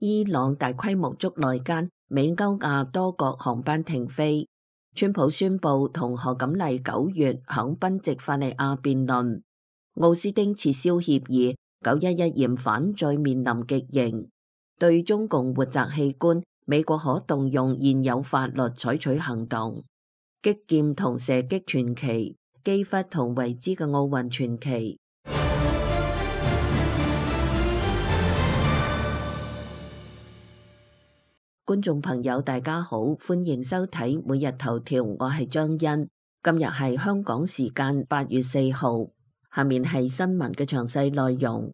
伊朗大規模捉內奸，美歐亞多國航班停飛。川普宣布同賀錦麗9月響賓夕法尼亞辯論。奧斯汀撤銷協議，911嫌犯再面臨極刑。對中共活摘器官，美國可動用現有法律採取行動。擊劍同射擊傳奇，基弗同維茲嘅奧運傳奇。觀眾朋友大家好，歡迎收睇每日頭條，我係張欣。今日係香港時間8月4號，下面係新聞嘅詳細內容。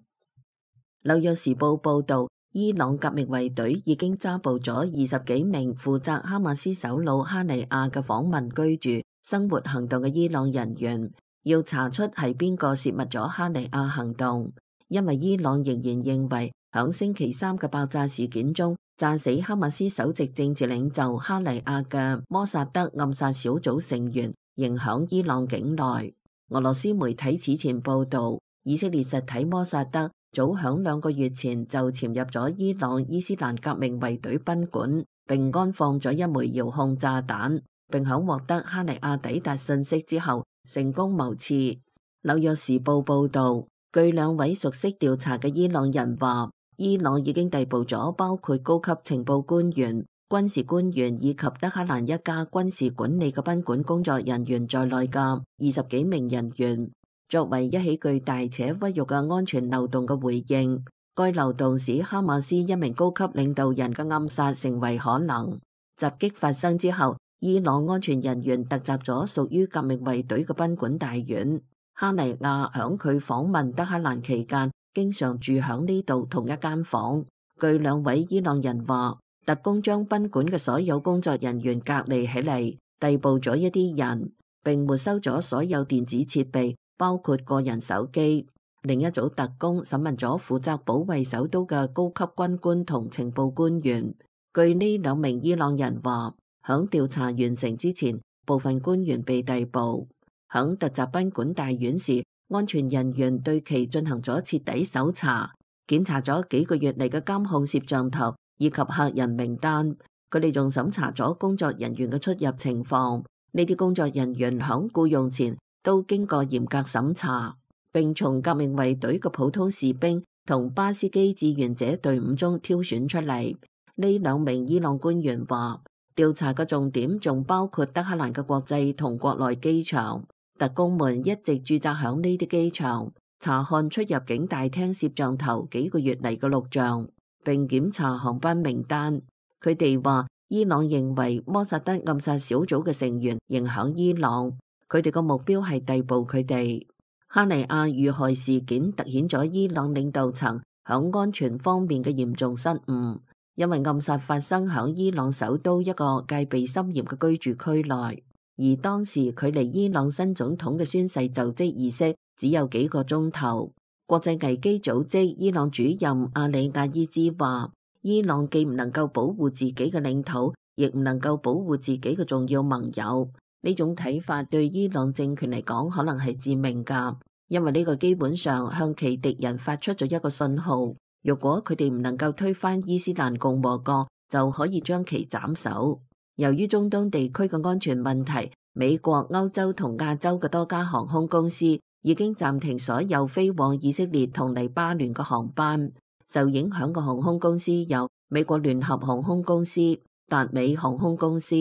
紐約時報報道，伊朗革命衛隊已經抓捕咗20幾名負責哈馬斯首腦哈尼亞嘅訪問居住生活行動嘅伊朗人員，要查出係邊個泄密咗哈尼亞行動，因為伊朗仍然認為響星期三嘅爆炸事件中炸死哈馬斯首席政治領袖哈尼亞嘅摩薩德暗殺小組成員仍響伊朗境內。俄羅斯媒體此前報道，以色列實體摩薩德早響2個月前就潛入咗伊朗伊斯蘭革命衛隊賓館，並安放咗一枚遙控炸彈，並響獲得哈尼亞抵達信息之後成功謀刺。紐約時報報道，據2位熟悉調查嘅伊朗人話，伊朗已經逮捕咗包括高級情報官員、軍事官員以及德黑蘭一家軍事管理嘅賓館工作人員在內嘅20幾名人員。作為一起巨大且屈辱嘅安全漏洞嘅回應，該漏洞使哈馬斯一名高級領導人嘅暗殺成為可能。襲擊發生之後，伊朗安全人員突襲咗屬於革命衛隊嘅賓館大院。哈尼亞響佢訪問德黑蘭期間，經常住響呢度同一間房。據2位伊朗人話，特工將賓館嘅所有工作人員隔離起嚟，逮捕咗一啲人，並沒收咗所有電子設備，包括個人手機。另一組特工審問咗負責保衛首都嘅高級軍官同情報官員。據呢2名伊朗人話，響調查完成之前，部分官員被逮捕。響突襲賓館大院時，安全人員對其進行咗徹底搜查，檢查咗幾個月嚟嘅監控攝像頭以及客人名單。佢哋仲審查咗工作人員嘅出入情況。呢啲工作人員響僱用前都經過嚴格審查，並從革命衛隊嘅普通士兵同巴斯基志願者隊伍中挑選出嚟。呢2名伊朗官員話，調查嘅重點仲包括德黑蘭嘅國際同國內機場。特工們一直駐紮響呢啲機場，查看出入境大廳攝像頭幾個月嚟嘅錄像，並檢查航班名單。佢哋話，伊朗認為摩薩德暗殺小組嘅成員仍響伊朗，佢哋個目標係逮捕佢哋。哈尼亞遇害事件凸顯咗伊朗領導層響安全方面嘅嚴重失誤，因為暗殺發生響伊朗首都一個戒備森嚴嘅居住區內。而當時距離伊朗新總統嘅宣誓就職儀式只有幾個鐘頭。國際危機組織伊朗主任阿里亞伊茲話，伊朗既唔能夠保護自己嘅領土，亦唔能夠保護自己嘅重要盟友。呢種睇法對伊朗政權嚟講可能係致命㗎，因為呢個基本上向其敵人發出咗一個信號，如果佢哋唔能夠推翻伊斯蘭共和國，就可以將其斬首。由於中東地區嘅安全問題，美國、歐洲同亞洲嘅多家航空公司已經暫停所有飛往以色列同黎巴嫩嘅航班。受影響嘅航空公司有美國聯合航空公司、達美航空公司、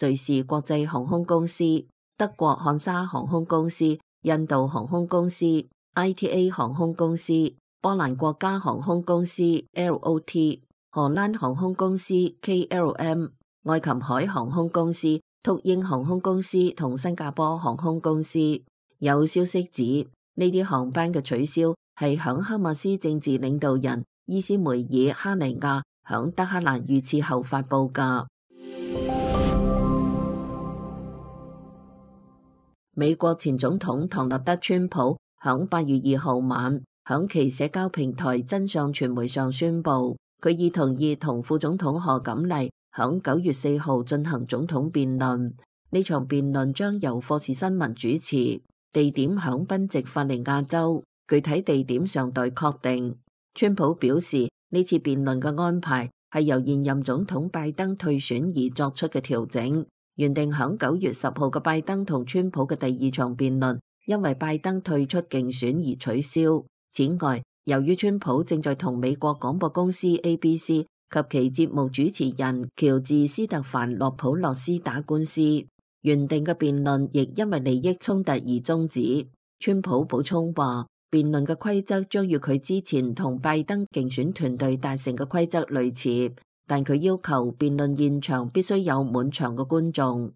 瑞士國際航空公司、德國漢莎航空公司、印度航空公司、ITA 航空公司、波蘭國家航空公司 LOT、荷蘭航空公司 KLM、愛琴海航空公司、禿鷹航空公司同新加坡航空公司。有消息指，呢啲航班嘅取消係響哈馬斯政治領導人伊斯梅爾哈尼亞響德黑蘭遇刺後發佈㗎。美國前總統唐納德川普響8月2號晚響其社交平台真相傳媒上宣布，佢已同意同副總統賀錦麗響9月4號進行總統辯論。呢場辯論將由霍士新聞主持，地點響賓夕法尼亞州，具體地點尚待確定。川普表示呢次辯論嘅安排係由現任總統拜登退選而作出嘅調整。原定響9月10號嘅拜登同川普嘅第2場辯論，因為拜登退出競選而取消。此外，由於川普正在同美國廣播公司 ABC 及其節目主持人喬治斯特凡洛普洛斯打官司，原定嘅辯論亦因為利益衝突而終止。川普補充話，辯論嘅規則將與佢之前同拜登競選團隊達成嘅規則類似。但佢要求辯論現場必須有滿場嘅觀眾。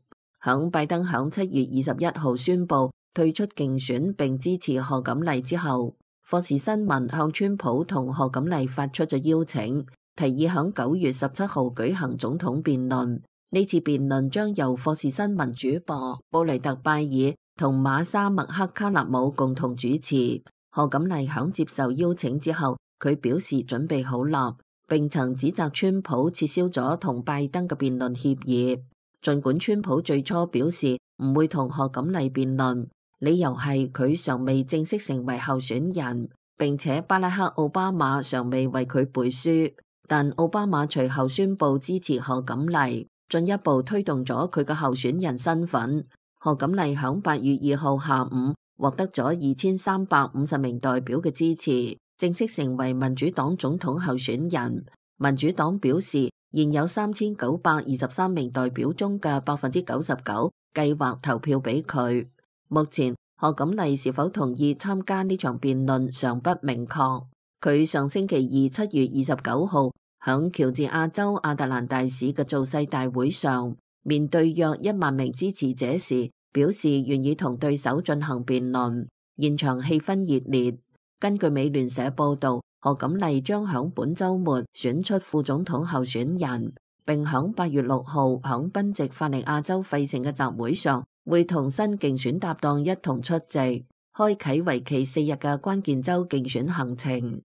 拜登響7月21號宣布退出競選並支持賀錦麗之後，霍士新聞向川普同賀錦麗發出咗邀請，提議響9月17號舉行總統辯論。呢次辯論將由霍士新聞主播布雷特拜爾同馬莎麥克卡納姆共同主持。賀錦麗響接受邀請之後，佢表示準備好啦，並曾指責川普撤銷咗同拜登嘅辯論協議。儘管川普最初表示唔會同賀錦麗辯論，理由係佢尚未正式成為候選人，並且巴拉克奧巴馬尚未為佢背書。但奧巴馬隨後宣布支持賀錦麗，進一步推動咗佢嘅候選人身份。賀錦麗響8月2號下午獲得咗2350名代表嘅支持，正式成為民主黨總統候選人。民主黨表示，現有3923名代表中嘅99%計劃投票俾佢。目前，賀錦麗是否同意參加呢場辯論尚不明確。佢上星期二7月29號響喬治亞州亞特蘭大市嘅造勢大會上，面對約1萬名支持者時，表示願意同對手進行辯論，現場氣氛熱烈。根據美聯社報道，賀錦麗將響本週末選出副總統候選人，並響8月6號響賓夕法尼亞州費城嘅集會上，會同新競選搭檔一同出席，開啟為期4日嘅關鍵州競選行程。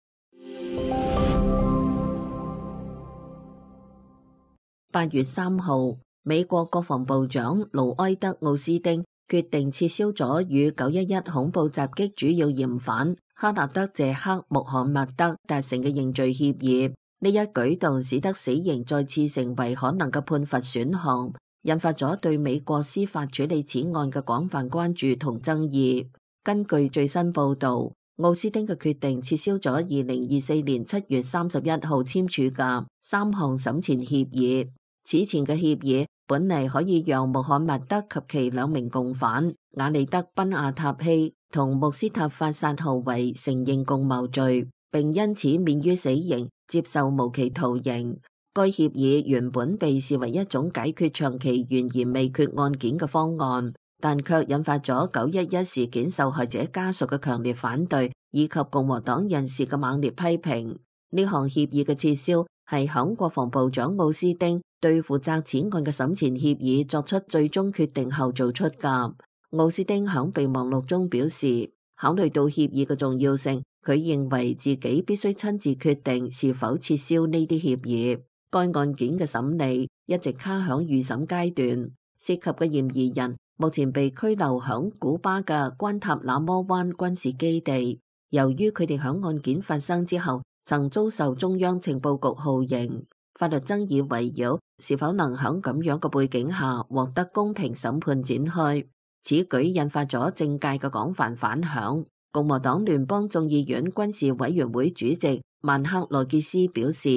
8月3號，美國國防部長盧埃德奧斯丁決定撤銷咗與911恐怖襲擊主要嫌犯哈納德謝克穆罕默德達成嘅認罪協議。呢一舉動使得死刑再次成為可能嘅判罰選項，引發咗對美國司法處理此案嘅廣泛關注同爭議。根據最新報導，奧斯丁嘅決定撤銷咗2024年7月31號簽署嘅3項審前協議。此前嘅協議本嚟可以讓穆罕默德及其2名共犯瓦利德賓亞塔希同穆斯塔法薩豪維承認共謀罪，並因此免於死刑，接受無期徒刑。該協議原本被視為一種解決長期懸而未決案件嘅方案，但卻引發咗911事件受害者家屬嘅強烈反對，以及共和黨人士嘅猛烈批評。呢項協議嘅撤銷係響國防部長奧斯丁對負責此案嘅審前協議作出最終決定後做出㗎。奧斯丁響備忘錄中表示，考慮到協議嘅重要性，佢認為自己必須親自決定是否撤銷呢啲協議。該案件嘅審理一直卡響預審階段，涉及嘅嫌疑人目前被拘留響古巴嘅關塔那摩灣軍事基地。由於佢哋響案件發生之後曾遭受中央情報局酷刑，法律爭議圍繞是否能響咁樣嘅背景下獲得公平審判展開。此舉引發咗政界嘅廣泛反響。共和黨聯邦眾議院軍事委員會主席曼克羅傑斯表示，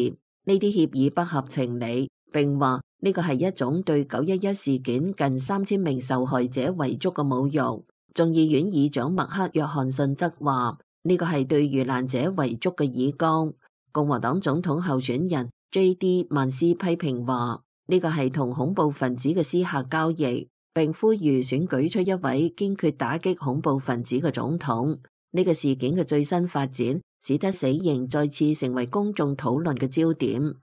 呢啲協議不合情理，並話呢個係一種對911事件近3000名受害者遺囑嘅侮辱。眾議院議長麥克約翰遜則話呢個係對遇難者遺囑嘅以綱。共和黨總統候選人 J.D. 曼斯批評話呢個係同恐怖分子嘅私下交易，並呼籲選舉出一位堅決打擊恐怖分子嘅總統。呢個事件嘅最新發展使得死刑再次成為公眾討論嘅焦點。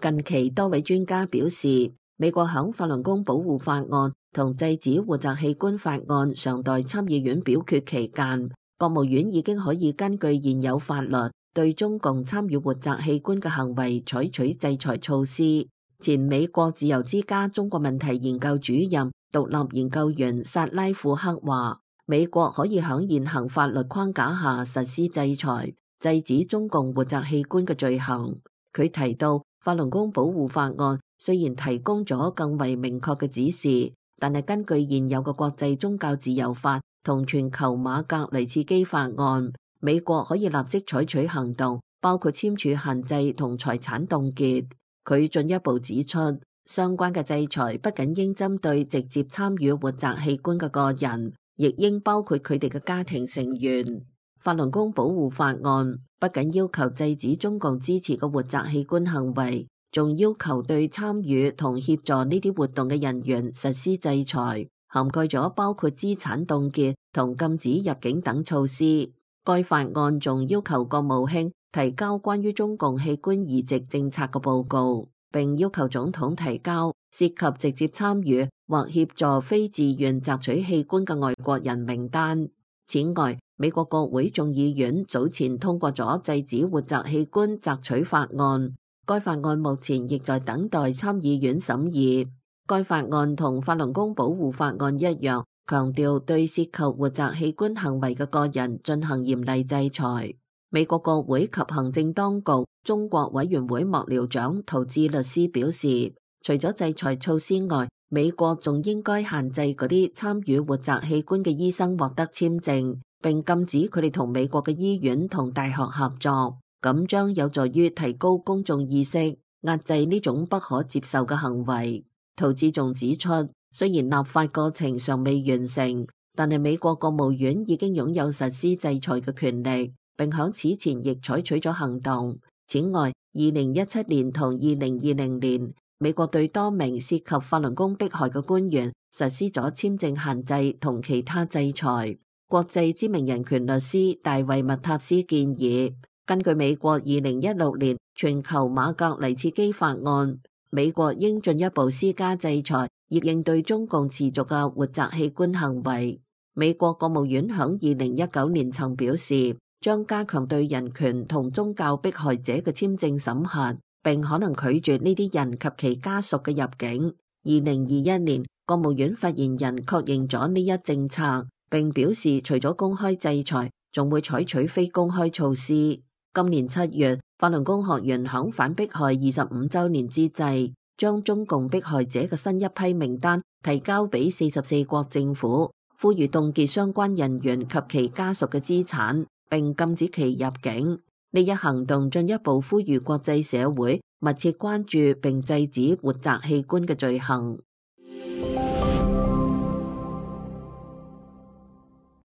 近期多位專家表示，美國響法輪功保護法案同制止活摘器官法案尚待參議院表決期間，國務院已經可以根據現有法律對中共參與活摘器官嘅行為採取制裁措施。前美國自由之家中國問題研究主任、獨立研究員薩拉庫克話，美國可以喺現行法律框架下實施制裁，制止中共活摘器官嘅罪行。佢提到，法輪功保護法案雖然提供咗更為明確嘅指示，但係根據現有嘅國際宗教自由法同全球馬格尼茨基法案，美國可以立即採取行動，包括簽署限制同財產凍結。佢進一步指出，相關嘅制裁不僅應針對直接參與活摘器官嘅個人，亦應包括佢哋嘅家庭成員。法輪功保護法案不僅要求制止中共支持嘅活摘器官行為，仲要求對參與同協助呢啲活動嘅人員實施制裁，涵蓋咗包括資產凍結同禁止入境等措施。該法案仲要求國務卿提交關於中共器官移植政策嘅報告，並要求總統提交涉及直接參與或協助非自願摘取器官嘅外國人名單。此外，美國國會眾議院早前通過咗制止活摘器官摘取法案，該法案目前亦在等待參議院審議。該法案同法輪功保護法案一樣，強調對涉及活摘器官行為嘅個人進行嚴厲制裁。美國國會及行政當局中國委員會幕僚長陶智律師表示，除咗制裁措施外，美國仲應該限制嗰啲參與活摘器官嘅醫生獲得簽證，並禁止佢哋同美國嘅醫院同大學合作，咁將有助於提高公眾意識，壓制呢種不可接受嘅行為。陶智仲指出，雖然立法過程尚未完成，但係美國國務院已經擁有實施制裁嘅權力，並響此前亦採取咗行動。此外，2017年同2020年，美國對多名涉及法輪功迫害嘅官員實施咗簽證限制同其他制裁。國際知名人權律師大衛麥塔斯建議，根據美國2016年全球馬格尼茨基法案，美國應進一步施加制裁，以應對中共持續嘅活摘器官行為。美國國務院響2019年曾表示，將加強對人權同宗教迫害者嘅簽證審核，並可能拒絕呢啲人及其家屬嘅入境。2021年，國務院發言人確認咗呢一政策，並表示除咗公開制裁，仲會採取非公開措施。今年7月，法輪功學員響反迫害25週年之際，將中共迫害者嘅新一批名單提交俾44國政府，呼籲凍結相關人員及其家屬嘅資產，並禁止其入境。呢一行動進一步呼籲國際社會密切關注並制止活摘器官嘅罪行。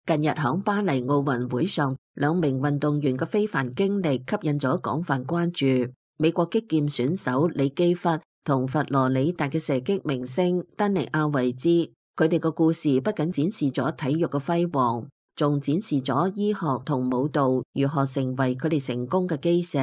近日響巴黎奧運會上，兩名運動員嘅非凡經歷吸引咗廣泛關注。美國擊劍選手李基弗同佛羅里達嘅射擊明星丹尼亞維茲，佢哋嘅故事不僅展示咗體育嘅輝煌，仲展示咗醫學同舞蹈如何成為佢哋成功嘅基石。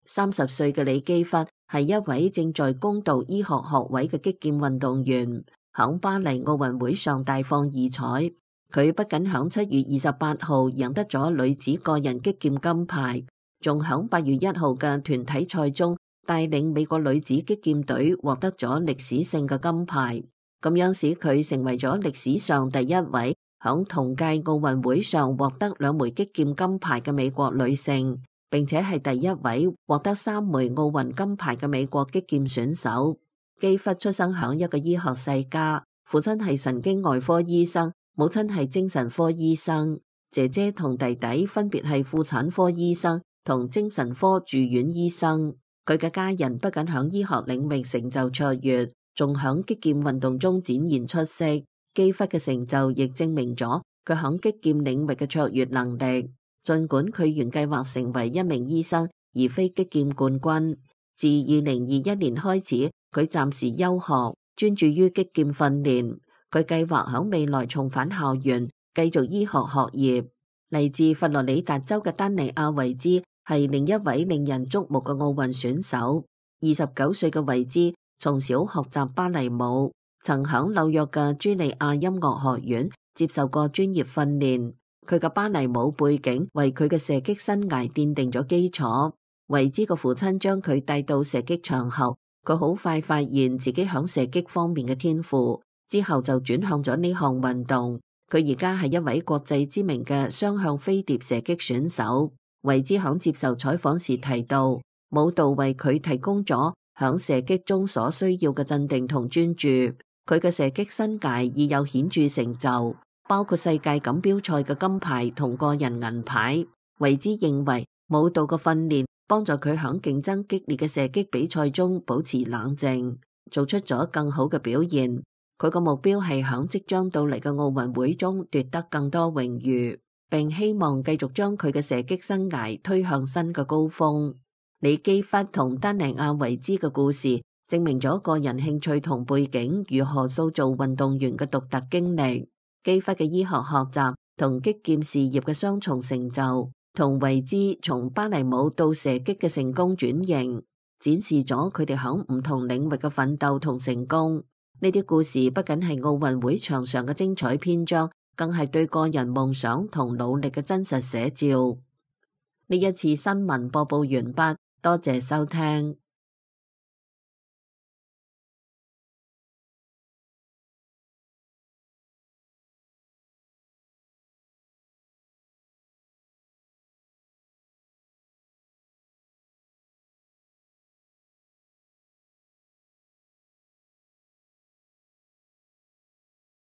30歲嘅李基弗係一位正在攻讀醫學學位嘅擊劍運動員，響巴黎奧運會上大放異彩。佢不僅響7月28號贏得咗女子個人擊劍金牌，仲響8月1號嘅團體賽中帶領美國女子擊劍隊獲得咗歷史性嘅金牌，咁樣使佢成為咗歷史上第一位響同屆奧運會上獲得2枚擊劍金牌嘅美國女性，並且係第一位獲得3枚奧運金牌嘅美國擊劍選手。基弗出生響一個醫學世家，父親係神經外科醫生，母親係精神科醫生，姐姐同弟弟分別係婦產科醫生同精神科住院醫生。佢嘅家人不僅響醫學領域成就卓越，仲響擊劍運動中展現出色。基弗嘅成就亦證明咗佢響擊劍領域嘅卓越能力。儘管佢原計劃成為一名醫生，而非擊劍冠軍。自2021年開始，佢暫時休學，專注於擊劍訓練。佢計劃響未來重返校園，繼續醫學學業。嚟自佛羅里達州嘅丹尼亞維茲係另一位令人矚目嘅奧運選手。29歲嘅維茲從小學習芭蕾舞，曾響紐約嘅茱莉亞音樂學院接受過專業訓練。佢嘅芭蕾舞背景為佢嘅射擊生涯奠定咗基礎。維茲嘅父親將佢帶到射擊場後，佢好快發現自己響射擊方面嘅天賦。之後就轉向咗呢項運動，佢而家係一位國際知名嘅雙向飛碟射擊選手。維茲響接受採訪時提到，舞蹈為佢提供咗響射擊中所需要嘅鎮定同專注。佢嘅射擊生涯已有顯著成就，包括世界錦標賽嘅金牌同個人銀牌。維茲認為舞蹈嘅訓練幫助佢響競爭激烈嘅射擊比賽中保持冷靜，做出咗更好嘅表現。佢個目標係響即將到嚟嘅奧運會中奪得更多榮譽，並希望繼續將佢嘅射擊生涯推向新嘅高峰。李基弗同丹尼亞維茲嘅故事證明咗個人興趣同背景如何塑造運動員嘅獨特經歷。基弗嘅醫學學習同擊劍事業嘅雙重成就，同維茲從芭蕾舞到射擊嘅成功轉型，展示咗佢哋響唔同領域嘅奮鬥同成功。呢啲故事不僅係奧運會場上嘅精彩篇章，更係對個人夢想同努力嘅真實寫照。呢一次新聞播報完畢，多謝收聽。